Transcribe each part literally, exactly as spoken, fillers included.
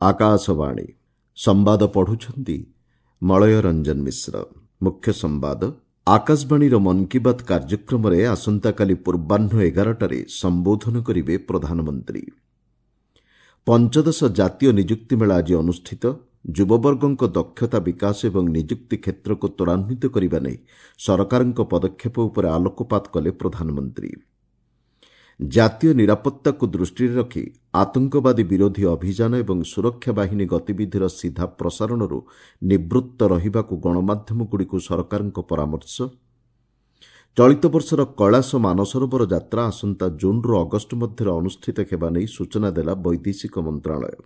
ଆକାଶବାଣୀ ସମ୍ବାଦ ପଢୁଛନ୍ତି ମଳୟ ରଞ୍ଜନ ମିଶ୍ର। ମୁଖ୍ୟ ସମ୍ବାଦ। ଆକାଶବାଣୀର ମନ୍ କି ବାତ୍ କାର୍ଯ୍ୟକ୍ରମରେ ଆସନ୍ତାକାଲି ପୂର୍ବାହ୍ନ ଏଗାରଟାରେ ସମ୍ବୋଧନ କରିବେ ପ୍ରଧାନମନ୍ତ୍ରୀ। ପଞ୍ଚଦଶ ଜାତୀୟ ନିଯୁକ୍ତି ମେଳା ଆଜି ଅନୁଷ୍ଠିତ। ଯୁବବର୍ଗଙ୍କ ଦକ୍ଷତା ବିକାଶ ଏବଂ ନିଯୁକ୍ତି କ୍ଷେତ୍ରକୁ ତ୍ୱରାନ୍ୱିତ କରିବା ନେଇ ସରକାରଙ୍କ ପଦକ୍ଷେପ ଉପରେ ଆଲୋକପାତ କଲେ ପ୍ରଧାନମନ୍ତ୍ରୀ। ଜାତୀୟ ନିରାପତ୍ତାକୁ ଦୃଷ୍ଟିରେ ରଖି ଆତଙ୍କବାଦୀ ବିରୋଧୀ ଅଭିଯାନ ଏବଂ ସୁରକ୍ଷା ବାହିନୀ ଗତିବିଧିର ସିଧା ପ୍ରସାରଣରୁ ନିବୃତ୍ତ ରହିବାକୁ ଗଣମାଧ୍ୟମଗୁଡ଼ିକୁ ସରକାରଙ୍କ ପରାମର୍ଶ। ଚଳିତ ବର୍ଷର କୈଳାସ ମାନସରୋବର ଯାତ୍ରା ଆସନ୍ତା ଜୁନ୍ରୁ ଅଗଷ୍ଟ ମଧ୍ୟରେ ଅନୁଷ୍ଠିତ ହେବା ନେଇ ସୂଚନା ଦେଲା ବୈଦେଶିକ ମନ୍ତ୍ରଣାଳୟ।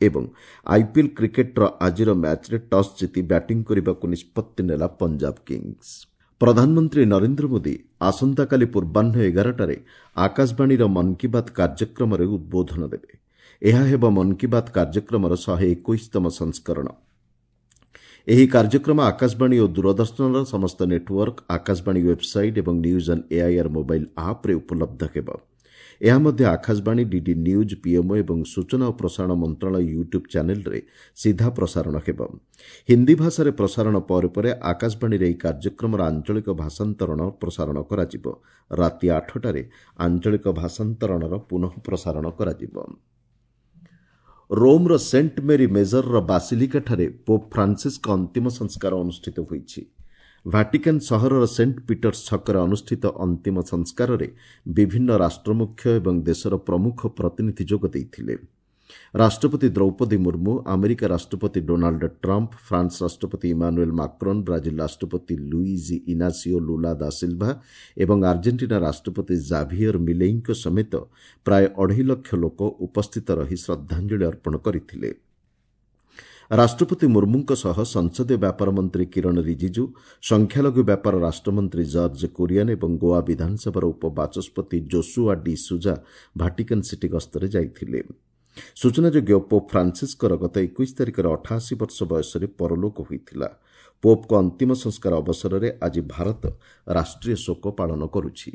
ଏବଂ ଆଇପିଏଲ୍ କ୍ରିକେଟ୍ର ଆଜିର ମ୍ୟାଚ୍ରେ ଟସ୍ ଜିତି ବ୍ୟାଟିଂ କରିବାକୁ ନିଷ୍ପତ୍ତି ନେଲା ପଞ୍ଜାବ କିଙ୍ଗସ୍। ପ୍ରଧାନମନ୍ତ୍ରୀ ନରେନ୍ଦ୍ର ମୋଦି ଆସନ୍ତାକାଲି ପୂର୍ବାହ୍ନ ଏଗାରଟାରେ ଆକାଶବାଣୀର ମନ୍ କି ବାତ୍ କାର୍ଯ୍ୟକ୍ରମରେ ଉଦ୍ବୋଧନ ଦେବେ। ଏହା ହେବ ମନ୍ କି ବାତ୍ କାର୍ଯ୍ୟକ୍ରମର ଶହେ ଏକୋଇଶତମ ସଂସ୍କରଣ। ଏହି କାର୍ଯ୍ୟକ୍ରମ ଆକାଶବାଣୀ ଓ ଦୂରଦର୍ଶନର ସମସ୍ତ ନେଟୱାର୍କ, ଆକାଶବାଣୀ ୱେବ୍ସାଇଟ୍ ଏବଂ ନ୍ୟୁଜ୍ ଅନ୍ ଏଆଇଆର୍ ମୋବାଇଲ୍ ଆପ୍ରେ ଉପଲବ୍ଧ ହେବ। ଏହା ମଧ୍ୟ ଆକାଶବାଣୀ, ଡିଡି ନ୍ୟୁଜ୍, ପିଏମ୍ଓ ଏବଂ ସୂଚନା ଓ ପ୍ରସାରଣ ମନ୍ତ୍ରଣାଳୟ ୟୁଟ୍ୟୁବ୍ ଚ୍ୟାନେଲ୍ରେ ସିଧା ପ୍ରସାରଣ ହେବ। ହିନ୍ଦୀ ଭାଷାରେ ପ୍ରସାରଣ ପରେ ପରେ ଆକାଶବାଣୀରେ ଏହି କାର୍ଯ୍ୟକ୍ରମର ଆଞ୍ଚଳିକ ଭାଷାନ୍ତରଣ ପ୍ରସାରଣ କରାଯିବ। ରାତି ଆଠଟାରେ ଆଞ୍ଚଳିକ ଭାଷାନ୍ତରଣର ପୁନଃ ପ୍ରସାରଣ କରାଯିବ। ରୋମ୍ର ସେଣ୍ଟ ମେରି ମେଜରର ବାସିଲିକାଠାରେ ପୋପ୍ ଫ୍ରାନ୍ସିସ୍ଙ୍କ ଅନ୍ତିମ ସଂସ୍କାର ଅନୁଷ୍ଠିତ ହୋଇଛି। ଭାଟିକାନ୍ ସହରର ସେଣ୍ଟ ପିଟର୍ସ ଛକରେ ଅନୁଷ୍ଠିତ ଅନ୍ତିମ ସଂସ୍କାରରେ ବିଭିନ୍ନ ରାଷ୍ଟ୍ରମୁଖ୍ୟ ଏବଂ ଦେଶର ପ୍ରମୁଖ ପ୍ରତିନିଧି ଯୋଗ ଦେଇଥିଲେ। ରାଷ୍ଟ୍ରପତି ଦ୍ରୌପଦୀ ମୁର୍ମୁ, ଆମେରିକା ରାଷ୍ଟ୍ରପତି ଡୋନାଲ୍ଡ ଟ୍ରମ୍ପ, ଫ୍ରାନ୍ସ ରାଷ୍ଟ୍ରପତି ଇମାନୁଏଲ୍ ମାକ୍ରୋନ୍, ବ୍ରାଜିଲ୍ ରାଷ୍ଟ୍ରପତି ଲୁଇଜି ଇନାସିଓ ଲୁଲା ଦା ସିଲ୍ଭା ଏବଂ ଆର୍ଜେଣ୍ଟିନା ରାଷ୍ଟ୍ରପତି ଜାଭିୟର ମିଲେଇଙ୍କ ସମେତ ପ୍ରାୟ ଅଢ଼େଇ ଲକ୍ଷ ଲୋକ ଉପସ୍ଥିତ ରହି ଶ୍ରଦ୍ଧାଞ୍ଜଳି ଅର୍ପଣ କରିଥିଲେ। ରାଷ୍ଟ୍ରପତି ମୁର୍ମୁଙ୍କ ସହ ସଂସଦୀୟ ବ୍ୟାପାର ମନ୍ତ୍ରୀ କିରଣ ରିଜିଜୁ, ସଂଖ୍ୟାଲଘୁ ବ୍ୟାପାର ରାଷ୍ଟ୍ରମନ୍ତ୍ରୀ ଜର୍ଜ କୁରିଆନ୍ ଏବଂ ଗୋଆ ବିଧାନସଭାର ଉପବାଚସ୍ପତି ଜୋସୁଆ ଡି ସୁଜା ଭାଟିକାନ୍ ସିଟି ଗସ୍ତରେ ଯାଇଥିଲେ। ସୂଚନାଯୋଗ୍ୟ, ପୋପ୍ ଫ୍ରାନ୍ସିସ୍ଙ୍କର ଗତ ଏକୋଇଶ ତାରିଖରେ ଅଠାଅଶୀ ବର୍ଷ ବୟସରେ ପରଲୋକ ହୋଇଥିଲା। ପୋପ୍ଙ୍କ ଅନ୍ତିମ ସଂସ୍କାର ଅବସରରେ ଆଜି ଭାରତ ରାଷ୍ଟ୍ରୀୟ ଶୋକ ପାଳନ କରୁଛି।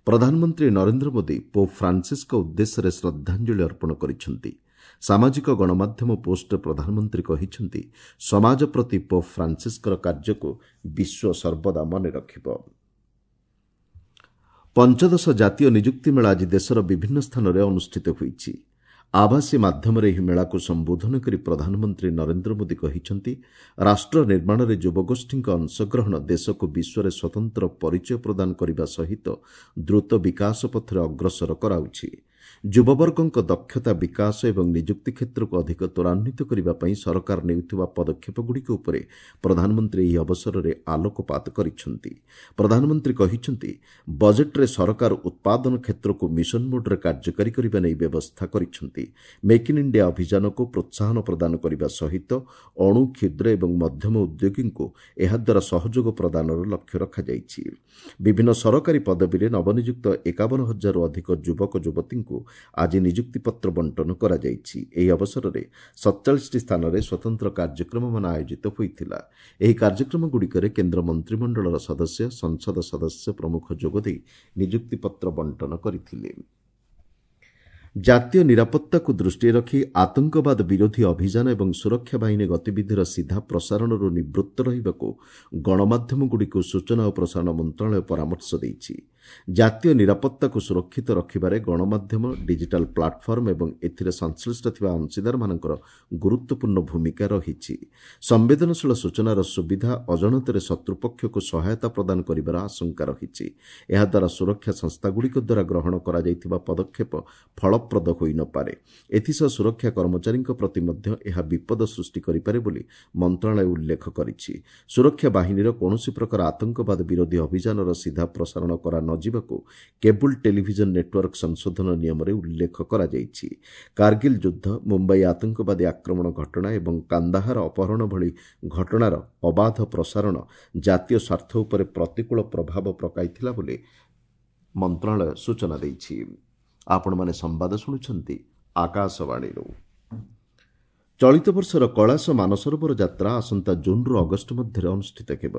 ପ୍ରଧାନମନ୍ତ୍ରୀ ନରେନ୍ଦ୍ର ମୋଦି ପୋପ୍ ଫ୍ରାନ୍ସିସ୍ଙ୍କ ଉଦ୍ଦେଶ୍ୟରେ ଶ୍ରଦ୍ଧାଞ୍ଜଳି ଅର୍ପଣ କରିଛନ୍ତି। ସାମାଜିକ ଗଣମାଧ୍ୟମ ପୋଷ୍ଟରେ ପ୍ରଧାନମନ୍ତ୍ରୀ କହିଛନ୍ତି, ସମାଜ ପ୍ରତି ପୋପ୍ ଫ୍ରାନ୍ସିସ୍ଙ୍କର କାର୍ଯ୍ୟକୁ ବିଶ୍ୱ ସର୍ବଦା ମନେ ରଖିବ। ପଞ୍ଚଦଶ ଜାତୀୟ ନିଯୁକ୍ତି ମେଳା ଆଜି ଦେଶର ବିଭିନ୍ନ ସ୍ଥାନରେ ଅନୁଷ୍ଠିତ ହୋଇଛି। ଆଭାସୀ ମାଧ୍ୟମରେ ଏହି ମେଳାକୁ ସମ୍ବୋଧନ କରି ପ୍ରଧାନମନ୍ତ୍ରୀ ନରେନ୍ଦ୍ର ମୋଦି କହିଛନ୍ତି, ରାଷ୍ଟ୍ର ନିର୍ମାଣରେ ଯୁବଗୋଷ୍ଠୀଙ୍କ ଅଂଶଗ୍ରହଣ ଦେଶକୁ ବିଶ୍ୱରେ ସ୍ୱତନ୍ତ୍ର ପରିଚୟ ପ୍ରଦାନ କରିବା ସହିତ ଦ୍ରୁତ ବିକାଶ ପଥରେ ଅଗ୍ରସର କରାଉଛି। ଯୁବବର୍ଗଙ୍କ ଦକ୍ଷତା ବିକାଶ ଏବଂ ନିଯୁକ୍ତି କ୍ଷେତ୍ରକୁ ଅଧିକ ତ୍ୱରାନ୍ୱିତ କରିବା ପାଇଁ ସରକାର ନେଉଥିବା ପଦକ୍ଷେପଗୁଡ଼ିକ ଉପରେ ପ୍ରଧାନମନ୍ତ୍ରୀ ଏହି ଅବସରରେ ଆଲୋକପାତ କରିଛନ୍ତି। ପ୍ରଧାନମନ୍ତ୍ରୀ କହିଛନ୍ତି, ବଜେଟ୍ରେ ସରକାର ଉତ୍ପାଦନ କ୍ଷେତ୍ରକୁ ମିଶନ ମୋଡ୍ରେ କାର୍ଯ୍ୟକାରୀ କରିବା ନେଇ ବ୍ୟବସ୍ଥା କରିଛନ୍ତି। ମେକ୍ ଇନ୍ ଇଣ୍ଡିଆ ଅଭିଯାନକୁ ପ୍ରୋତ୍ସାହନ ପ୍ରଦାନ କରିବା ସହିତ ଅଣୁ, କ୍ଷୁଦ୍ର ଏବଂ ମଧ୍ୟମ ଉଦ୍ୟୋଗୀଙ୍କୁ ଏହାଦ୍ୱାରା ସହଯୋଗ ପ୍ରଦାନର ଲକ୍ଷ୍ୟ ରଖାଯାଇଛି। ବିଭିନ୍ନ ସରକାରୀ ପଦବୀରେ ନବନିଯୁକ୍ତ ଏକାବନ ହଜାରରୁ ଅଧିକ ଯୁବକ ଯୁବତୀଙ୍କୁ ଆଜି ନିଯୁକ୍ତିପତ୍ର ବଣ୍ଟନ କରାଯାଇଛି। ଏହି ଅବସରରେ ସତଚାଳିଶଟି ସ୍ଥାନରେ ସ୍ୱତନ୍ତ୍ର କାର୍ଯ୍ୟକ୍ରମମାନ ଆୟୋଜିତ ହୋଇଥିଲା। ଏହି କାର୍ଯ୍ୟକ୍ରମଗୁଡ଼ିକରେ କେନ୍ଦ୍ର ମନ୍ତ୍ରିମଣ୍ଡଳର ସଦସ୍ୟ, ସଂସଦ ସଦସ୍ୟ ପ୍ରମୁଖ ଯୋଗଦେଇ ନିଯୁକ୍ତିପତ୍ର ବଣ୍ଟନ କରିଥିଲେ। ଜାତୀୟ ନିରାପତ୍ତାକୁ ଦୃଷ୍ଟିରେ ରଖି ଆତଙ୍କବାଦ ବିରୋଧୀ ଅଭିଯାନ ଏବଂ ସୁରକ୍ଷା ବାହିନୀ ଗତିବିଧିର ସିଧା ପ୍ରସାରଣରୁ ନିବୃତ୍ତ ରହିବାକୁ ଗଣମାଧ୍ୟମଗୁଡ଼ିକୁ ସୂଚନା ଓ ପ୍ରସାରଣ ମନ୍ତ୍ରଣାଳୟ ପରାମର୍ଶ ଦେଇଛି। ଜାତୀୟ ନିରାପତ୍ତାକୁ ସୁରକ୍ଷିତ ରଖିବାରେ ଗଣମାଧ୍ୟମ, ଡିଜିଟାଲ୍ ପ୍ଲାଟଫର୍ମ ଏବଂ ଏଥିରେ ସଂଶ୍ଳିଷ୍ଟ ଥିବା ଅଂଶୀଦାରମାନଙ୍କର ଗୁରୁତ୍ୱପୂର୍ଣ୍ଣ ଭୂମିକା ରହିଛି। ସମ୍ବେଦନଶୀଳ ସୂଚନାର ସୁବିଧା ଅଜାଣତରେ ଶତ୍ରୁପକ୍ଷକୁ ସହାୟତା ପ୍ରଦାନ କରିବାର ଆଶଙ୍କା ରହିଛି। ଏହାଦ୍ୱାରା ସୁରକ୍ଷା ସଂସ୍ଥାଗୁଡ଼ିକ ଦ୍ୱାରା ଗ୍ରହଣ କରାଯାଇଥିବା ପଦକ୍ଷେପ ଫଳପ୍ରଦ ହୋଇନପାରେ। ଏଥିସହ ସୁରକ୍ଷା କର୍ମଚାରୀଙ୍କ ପ୍ରତି ମଧ୍ୟ ଏହା ବିପଦ ସୃଷ୍ଟି କରିପାରେ ବୋଲି ମନ୍ତ୍ରଣାଳୟ ଉଲ୍ଲେଖ କରିଛି। ସୁରକ୍ଷା ବାହିନୀର କୌଣସି ପ୍ରକାର ଆତଙ୍କବାଦ ବିରୋଧୀ ଅଭିଯାନର ସିଧା ପ୍ରସାରଣ କରା ନଯିବାକୁ କେବୁଲ୍ ଟେଲିଭିଜନ ନେଟୱାର୍କ ସଂଶୋଧନ ନିୟମରେ ଉଲ୍ଲେଖ କରାଯାଇଛି। କାର୍ଗିଲ୍ ଯୁଦ୍ଧ, ମୁମ୍ବାଇ ଆତଙ୍କବାଦୀ ଆକ୍ରମଣ ଘଟଣା ଏବଂ କାନ୍ଦାହାର ଅପହରଣ ଭଳି ଘଟଣାର ଅବାଧ ପ୍ରସାରଣ ଜାତୀୟ ସ୍ୱାର୍ଥ ଉପରେ ପ୍ରତିକୂଳ ପ୍ରଭାବ ପକାଇଥିଲା ବୋଲି ମନ୍ତ୍ରଣାଳୟ ସୂଚନା ଦେଇଛି। ଆପଣମାନେ ସମ୍ବାଦ ଶୁଣୁଛନ୍ତି ଆକାଶବାଣୀରୁ। ଚଳିତ ବର୍ଷର କୈଳାସ ମାନସରୋବର ଯାତ୍ରା ଆସନ୍ତା ଜୁନ୍ରୁ ଅଗଷ୍ଟ ମଧ୍ୟରେ ଅନୁଷ୍ଠିତ ହେବ।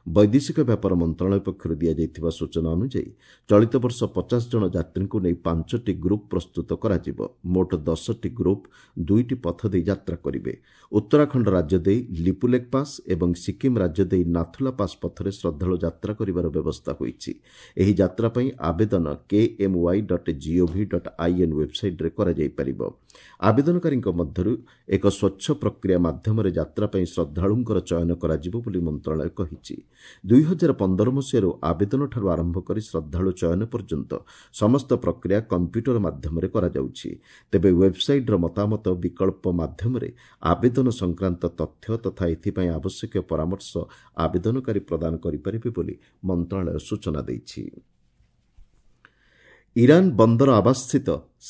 ବୈଦେଶିକ ବ୍ୟାପାର ମନ୍ତ୍ରଣାଳୟ ପକ୍ଷରୁ ଦିଆଯାଇଥିବା ସୂଚନା ଅନୁଯାୟୀ ଚଳିତ ବର୍ଷ ପଚାଶ ଜଣ ଯାତ୍ରୀଙ୍କୁ ନେଇ ପାଞ୍ଚଟି ଗ୍ରୁପ୍ ପ୍ରସ୍ତୁତ କରାଯିବ। ମୋଟ ଦଶଟି ଗ୍ରୁପ୍ ଦୁଇଟି ପଥ ଦେଇ ଯାତ୍ରା କରିବେ। ଉତ୍ତରାଖଣ୍ଡ ରାଜ୍ୟ ଦେଇ ଲିପୁଲେକ୍ ପାସ୍ ଏବଂ ସିକିମ୍ ରାଜ୍ୟ ଦେଇ ନାଥୁଲା ପାସ୍ ପଥରେ ଶ୍ରଦ୍ଧାଳୁ ଯାତ୍ରା କରିବାର ବ୍ୟବସ୍ଥା ହୋଇଛି। ଏହି ଯାତ୍ରା ପାଇଁ ଆବେଦନ K M Y dot G O V dot I N ୱେବ୍ସାଇଟ୍ରେ କରାଯାଇପାରିବ। ଆବେଦନକାରୀଙ୍କ ମଧ୍ୟରୁ ଏକ ସ୍ୱଚ୍ଛ ପ୍ରକ୍ରିୟା ମାଧ୍ୟମରେ ଯାତ୍ରା ପାଇଁ ଶ୍ରଦ୍ଧାଳୁଙ୍କର ଚୟନ କରାଯିବ ବୋଲି ମନ୍ତ୍ରଣାଳୟ କହିଛି। ଦୁଇ ହଜାର ପନ୍ଦର ମସିହାରୁ ଆବେଦନଠାରୁ ଆରମ୍ଭ କରି ଶ୍ରଦ୍ଧାଳୁ ଚୟନ ପର୍ଯ୍ୟନ୍ତ ସମସ୍ତ ପ୍ରକ୍ରିୟା କମ୍ପ୍ୟୁଟର ମାଧ୍ୟମରେ କରାଯାଉଛି। ତେବେ ୱେବ୍ସାଇଟ୍ର ମତାମତ ବିକଳ୍ପ ମାଧ୍ୟମରେ ଆବେଦନ ସଂକ୍ରାନ୍ତ ତଥ୍ୟ ତଥା ଏଥିପାଇଁ ଆବଶ୍ୟକୀୟ ପରାମର୍ଶ ଆବେଦନକାରୀ ପ୍ରଦାନ କରିପାରିବେ ବୋଲି ମନ୍ତ୍ରଣାଳୟ ସୂଚନା ଦେଇଛି। ଇରାନ୍ ବନ୍ଦର ଆବାସସ୍ଥିତ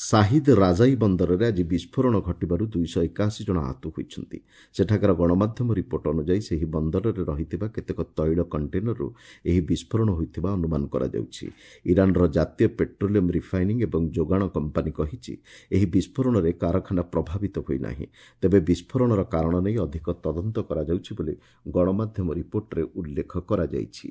ସାହିଦ୍ ରାଜାଇ ବନ୍ଦରରେ ଆଜି ବିସ୍ଫୋରଣ ଘଟିବାରୁ ଦୁଇଶହ ଏକାଅଶୀ ଜଣ ଆହତ ହୋଇଛନ୍ତି। ସେଠାକାର ଗଣମାଧ୍ୟମ ରିପୋର୍ଟ ଅନୁଯାୟୀ ସେହି ବନ୍ଦରରେ ରହିଥିବା କେତେକ ତୈଳ କଣ୍ଟେନରରୁ ଏହି ବିସ୍ଫୋରଣ ହୋଇଥିବା ଅନୁମାନ କରାଯାଉଛି। ଇରାନ୍ର ଜାତୀୟ ପେଟ୍ରୋଲିୟମ୍ ରିଫାଇନିଂ ଏବଂ ଯୋଗାଣ କମ୍ପାନୀ କହିଛି ଏହି ବିସ୍ଫୋରଣରେ କାରଖାନା ପ୍ରଭାବିତ ହୋଇନାହିଁ। ତେବେ ବିସ୍ଫୋରଣର କାରଣ ନେଇ ଅଧିକ ତଦନ୍ତ କରାଯାଉଛି ବୋଲି ଗଣମାଧ୍ୟମ ରିପୋର୍ଟରେ ଉଲ୍ଲେଖ କରାଯାଇଛି।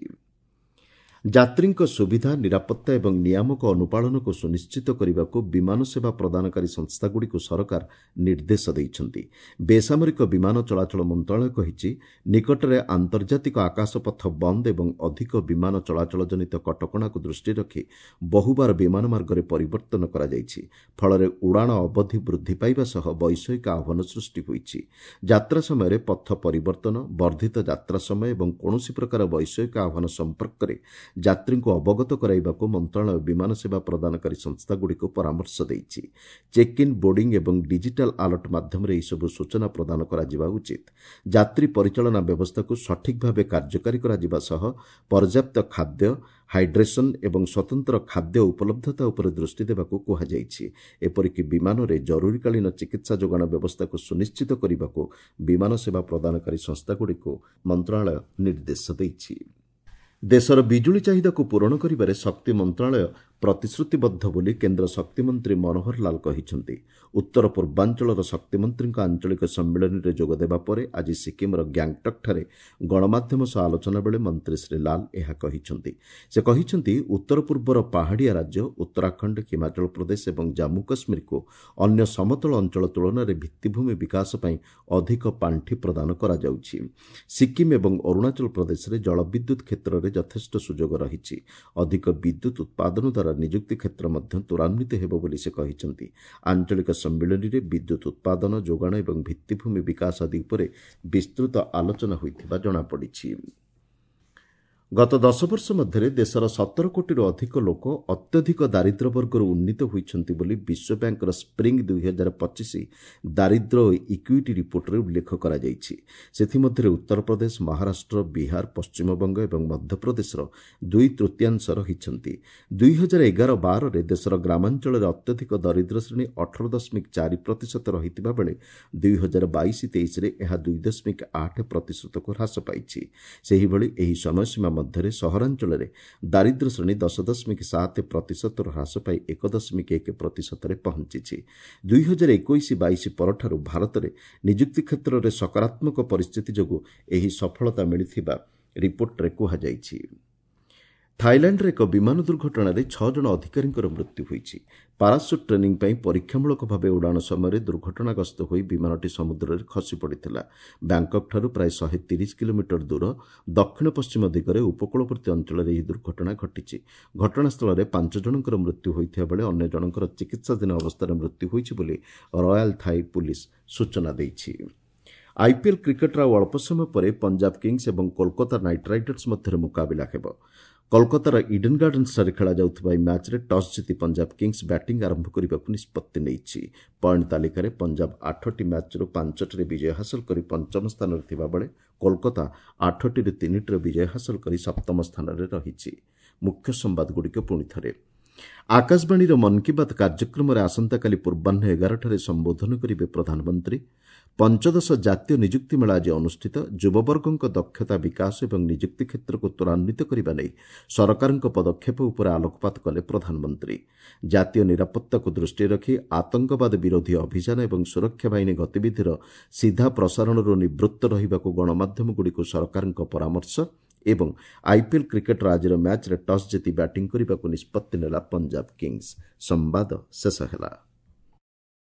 ଯାତ୍ରୀଙ୍କ ସୁବିଧା, ନିରାପତ୍ତା ଏବଂ ନିୟାମକ ଅନୁପାଳନକୁ ସୁନିଶ୍ଚିତ କରିବାକୁ ବିମାନ ସେବା ପ୍ରଦାନକାରୀ ସଂସ୍ଥାଗୁଡ଼ିକୁ ସରକାର ନିର୍ଦ୍ଦେଶ ଦେଇଛନ୍ତି। ବେସାମରିକ ବିମାନ ଚଳାଚଳ ମନ୍ତ୍ରଣାଳୟ କହିଛି ନିକଟରେ ଆନ୍ତର୍ଜାତିକ ଆକାଶପଥ ବନ୍ଦ ଏବଂ ଅଧିକ ବିମାନ ଚଳାଚଳ ଜନିତ କଟକଣାକୁ ଦୃଷ୍ଟିରେ ରଖି ବହୁବାର ବିମାନ ମାର୍ଗରେ ପରିବର୍ତ୍ତନ କରାଯାଇଛି। ଫଳରେ ଉଡ଼ାଣ ଅବଧି ବୃଦ୍ଧି ପାଇବା ସହ ବୈଷୟିକ ଆହ୍ୱାନ ସୃଷ୍ଟି ହୋଇଛି। ଯାତ୍ରା ସମୟରେ ପଥ ପରିବର୍ତ୍ତନ, ବର୍ଦ୍ଧିତ ଯାତ୍ରା ସମୟ ଏବଂ କୌଣସି ପ୍ରକାର ବୈଷୟିକ ଆହ୍ୱାନ ସମ୍ପର୍କରେ ଯାତ୍ରୀଙ୍କୁ ଅବଗତ କରାଇବାକୁ ମନ୍ତ୍ରଣାଳୟ ବିମାନ ସେବା ପ୍ରଦାନକାରୀ ସଂସ୍ଥାଗୁଡ଼ିକୁ ପରାମର୍ଶ ଦେଇଛି। ଚେକ୍ ଇନ୍, ବୋର୍ଡିଂ ଏବଂ ଡିଜିଟାଲ୍ ଆଲର୍ଟ ମାଧ୍ୟମରେ ଏହିସବୁ ସୂଚନା ପ୍ରଦାନ କରାଯିବା ଉଚିତ। ଯାତ୍ରୀ ପରିଚାଳନା ବ୍ୟବସ୍ଥାକୁ ସଠିକ୍ ଭାବେ କାର୍ଯ୍ୟକାରୀ କରାଯିବା ସହ ପର୍ଯ୍ୟାପ୍ତ ଖାଦ୍ୟ, ହାଇଡ୍ରେସନ୍ ଏବଂ ସ୍ୱତନ୍ତ୍ର ଖାଦ୍ୟ ଉପଲବ୍ଧତା ଉପରେ ଦୃଷ୍ଟି ଦେବାକୁ କୁହାଯାଇଛି। ଏପରିକି ବିମାନରେ ଜରୁରୀକାଳୀନ ଚିକିତ୍ସା ଯୋଗାଣ ବ୍ୟବସ୍ଥାକୁ ସୁନିଶ୍ଚିତ କରିବାକୁ ବିମାନ ସେବା ପ୍ରଦାନକାରୀ ସଂସ୍ଥାଗୁଡ଼ିକୁ ମନ୍ତ୍ରଣାଳୟ ନିର୍ଦ୍ଦେଶ ଦେଇଛି। ଦେଶର ବିଜୁଳି ଚାହିଦାକୁ ପୂରଣ କରିବାରେ ଶକ୍ତି ମନ୍ତ୍ରଣାଳୟ ପ୍ରତିଶ୍ରୁତିବଦ୍ଧ ବୋଲି କେନ୍ଦ୍ର ଶକ୍ତିମନ୍ତ୍ରୀ ମନୋହର ଲାଲ କହିଛନ୍ତି। ଉତ୍ତର ପୂର୍ବାଞ୍ଚଳର ଶକ୍ତିମନ୍ତ୍ରୀଙ୍କ ଆଞ୍ଚଳିକ ସମ୍ମିଳନୀରେ ଯୋଗଦେବା ପରେ ଆଜି ସିକିମ୍ର ଗ୍ୟାଙ୍ଗଟକ୍ଠାରେ ଗଣମାଧ୍ୟମ ସହ ଆଲୋଚନା ବେଳେ ମନ୍ତ୍ରୀ ଶ୍ରୀ ଲାଲ ଏହା କହିଛନ୍ତି। ସେ କହିଛନ୍ତି ଉତ୍ତର ପୂର୍ବର ପାହାଡ଼ିଆ ରାଜ୍ୟ ଉତ୍ତରାଖଣ୍ଡ, ହିମାଚଳ ପ୍ରଦେଶ ଏବଂ ଜାମ୍ମୁ କାଶ୍ମୀରକୁ ଅନ୍ୟ ସମତଳ ଅଞ୍ଚଳ ତୁଳନାରେ ଭିତ୍ତିଭୂମି ବିକାଶ ପାଇଁ ଅଧିକ ପାଣ୍ଠି ପ୍ରଦାନ କରାଯାଉଛି। ସିକିମ୍ ଏବଂ ଅରୁଣାଚଳ ପ୍ରଦେଶରେ ଜଳବିଦ୍ୟୁତ୍ କ୍ଷେତ୍ରରେ ଯଥେଷ୍ଟ ସୁଯୋଗ ରହିଛି। ଅଧିକ ବିଦ୍ୟୁତ୍ ଉତ୍ପାଦନ ଦ୍ୱାରା ନିଯୁକ୍ତି କ୍ଷେତ୍ର ମଧ୍ୟ ତ୍ୱରାନ୍ୱିତ ହେବ ବୋଲି ସେ କହିଛନ୍ତି। ଆଞ୍ଚଳିକ ସମ୍ମିଳନୀରେ ବିଦ୍ୟୁତ୍ ଉତ୍ପାଦନ, ଯୋଗାଣ ଏବଂ ଭିତ୍ତିଭୂମି ବିକାଶ ଆଦି ଉପରେ ବିସ୍ତୃତ ଆଲୋଚନା ହୋଇଥିବା ଜଣାପଡ଼ିଛି। ଗତ ଦଶ ବର୍ଷ ମଧ୍ୟରେ ଦେଶର ସତର କୋଟିରୁ ଅଧିକ ଲୋକ ଅତ୍ୟଧିକ ଦାରିଦ୍ର୍ୟ ବର୍ଗରୁ ଉନ୍ନୀତ ହୋଇଛନ୍ତି ବୋଲି ବିଶ୍ୱ ବ୍ୟାଙ୍କର ସ୍ପ୍ରିଙ୍ଗ ଦୁଇ ହଜାର ପଚିଶ ଦାରିଦ୍ର୍ୟ ଓ ଇକ୍ୱିଟି ରିପୋର୍ଟରେ ଉଲ୍ଲେଖ କରାଯାଇଛି। ସେଥିମଧ୍ୟରେ ଉତ୍ତରପ୍ରଦେଶ, ମହାରାଷ୍ଟ୍ର, ବିହାର, ପଶ୍ଚିମବଙ୍ଗ ଏବଂ ମଧ୍ୟପ୍ରଦେଶର ଦୁଇ ତୃତୀୟାଂଶ ରହିଛନ୍ତି। ଦୁଇ ହଜାର ଏଗାର ବାରରେ ଦେଶର ଗ୍ରାମାଞ୍ଚଳରେ ଅତ୍ୟଧିକ ଦରିଦ୍ର ଶ୍ରେଣୀ ଅଠର ଦଶମିକ ଚାରି ପ୍ରତିଶତ ରହିଥିବା ବେଳେ ଦୁଇ ହଜାର ବାଇଶ ତେଇଶରେ ଏହା ଦୁଇ ଦଶମିକ ଆଠ ପ୍ରତିଶତକୁ ହ୍ରାସ ପାଇଛି। ସେହିଭଳି ଏହି ସମୟସୀମା ମଧ୍ୟରେ ସହରାଞ୍ଚଳରେ ଦାରିଦ୍ର୍ୟ ଶ୍ରେଣୀ ଦଶ ଦଶମିକ ସାତ ପ୍ରତିଶତରୁ ହ୍ରାସ ପାଇ ଏକ ଦଶମିକ ଏକ ପ୍ରତିଶତରେ ପହଞ୍ଚିଛି। ଦୁଇ ହଜାର ଏକୋଇଶ ବାଇଶ ପରଠାରୁ ଭାରତରେ ନିଯୁକ୍ତି କ୍ଷେତ୍ରରେ ସକାରାତ୍ମକ ପରିସ୍ଥିତି ଯୋଗୁଁ ଏହି ସଫଳତା ମିଳିଥିବା ରିପୋର୍ଟରେ କୁହାଯାଇଛି। ଥାଇଲାଣ୍ଡରେ ଏକ ବିମାନ ଦୁର୍ଘଟଣାରେ ଛଅ ଜଣ ଅଧିକାରୀଙ୍କର ମୃତ୍ୟୁ ହୋଇଛି। ପାରାସୁଟ୍ ଟ୍ରେନିଂ ପାଇଁ ପରୀକ୍ଷାମୂଳକ ଭାବେ ଉଡ଼ାଣ ସମୟରେ ଦୁର୍ଘଟଣାଗ୍ରସ୍ତ ହୋଇ ବିମାନଟି ସମୁଦ୍ରରେ ଖସି ପଡ଼ିଥିଲା। ବ୍ୟାଙ୍କକ୍ଠାରୁ ପ୍ରାୟ ଶହେ ତିରିଶ କିଲୋମିଟର ଦୂର ଦକ୍ଷିଣ ପଶ୍ଚିମ ଦିଗରେ ଉପକୂଳବର୍ତ୍ତୀ ଅଞ୍ଚଳରେ ଏହି ଦୁର୍ଘଟଣା ଘଟିଛି। ଘଟଣାସ୍ଥଳରେ ପାଞ୍ଚ ଜଣଙ୍କର ମୃତ୍ୟୁ ହୋଇଥିବା ବେଳେ ଅନ୍ୟ ଜଣଙ୍କର ଚିକିତ୍ସାଧୀନ ଅବସ୍ଥାରେ ମୃତ୍ୟୁ ହୋଇଛି ବୋଲି ରୟାଲ୍ ଥାଇ ପୁଲିସ୍ ସୂଚନା ଦେଇଛି। ଆଇପିଏଲ୍ କ୍ରିକେଟ୍ର ଆଉ ଅଳ୍ପ ସମୟ ପରେ ପଞ୍ଜାବ କିଙ୍ଗସ୍ ଏବଂ କୋଲକାତା ନାଇଟ୍ ରାଇଡର୍ସ ମଧ୍ୟରେ ମୁକାବିଲା ହେବ। କୋଲକାତାର ଇଡେନ୍ ଗାର୍ଡେନ୍ସଠାରେ ଖେଳାଯାଉଥିବା ଏହି ମ୍ୟାଚ୍ରେ ଟସ୍ ଜିତି ପଞ୍ଜାବ କିଙ୍ଗସ୍ ବ୍ୟାଟିଂ ଆରମ୍ଭ କରିବାକୁ ନିଷ୍ପତ୍ତି ନେଇଛି। ପଏଣ୍ଟ ତାଲିକାରେ ପଞ୍ଜାବ ଆଠଟି ମ୍ୟାଚ୍ରୁ ପାଞ୍ଚଟିରେ ବିଜୟ ହାସଲ କରି ପଞ୍ଚମ ସ୍ଥାନରେ ଥିବାବେଳେ କୋଲକାତା ଆଠଟିରୁ ତିନିଟିର ବିଜୟ ହାସଲ କରି ସପ୍ତମ ସ୍ଥାନରେ ରହିଛି। ମୁଖ୍ୟ ସମ୍ବାଦଗୁଡ଼ିକ ପୁଣି ଥରେ। ଆକାଶବାଣୀର ମନ୍ କି ବାତ୍ କାର୍ଯ୍ୟକ୍ରମରେ ଆସନ୍ତାକାଲି ପୂର୍ବାହ୍ନ ଏଗାରଟାରେ ସମ୍ବୋଧନ କରିବେ ପ୍ରଧାନମନ୍ତ୍ରୀ। ପଞ୍ଚଦଶ ଜାତୀୟ ନିଯୁକ୍ତି ମେଳା ଆଜି ଅନୁଷ୍ଠିତ। ଯୁବବର୍ଗଙ୍କ ଦକ୍ଷତା ବିକାଶ ଏବଂ ନିଯୁକ୍ତି କ୍ଷେତ୍ରକୁ ତ୍ୱରାନ୍ୱିତ କରିବା ନେଇ ସରକାରଙ୍କ ପଦକ୍ଷେପ ଉପରେ ଆଲୋକପାତ କଲେ ପ୍ରଧାନମନ୍ତ୍ରୀ। ଜାତୀୟ ନିରାପତ୍ତାକୁ ଦୃଷ୍ଟିରେ ରଖି ଆତଙ୍କବାଦ ବିରୋଧୀ ଅଭିଯାନ ଏବଂ ସୁରକ୍ଷା ବାହିନୀ ଗତିବିଧିର ସିଧା ପ୍ରସାରଣରୁ ନିବୃତ୍ତ ରହିବାକୁ ଗଣମାଧ୍ୟମଗୁଡ଼ିକୁ ସରକାରଙ୍କ ପରାମର୍ଶ। ଏବଂ ଆଇପିଏଲ୍ କ୍ରିକେଟ୍ର ଆଜିର ମ୍ୟାଚ୍ରେ ଟସ୍ ଜିତି ବ୍ୟାଟିଂ କରିବାକୁ ନିଷ୍ପତ୍ତି ନେଲା ପଞ୍ଜାବ କିଙ୍ଗସ୍। ସମ୍ବାଦ ଶେଷ ହେଲା।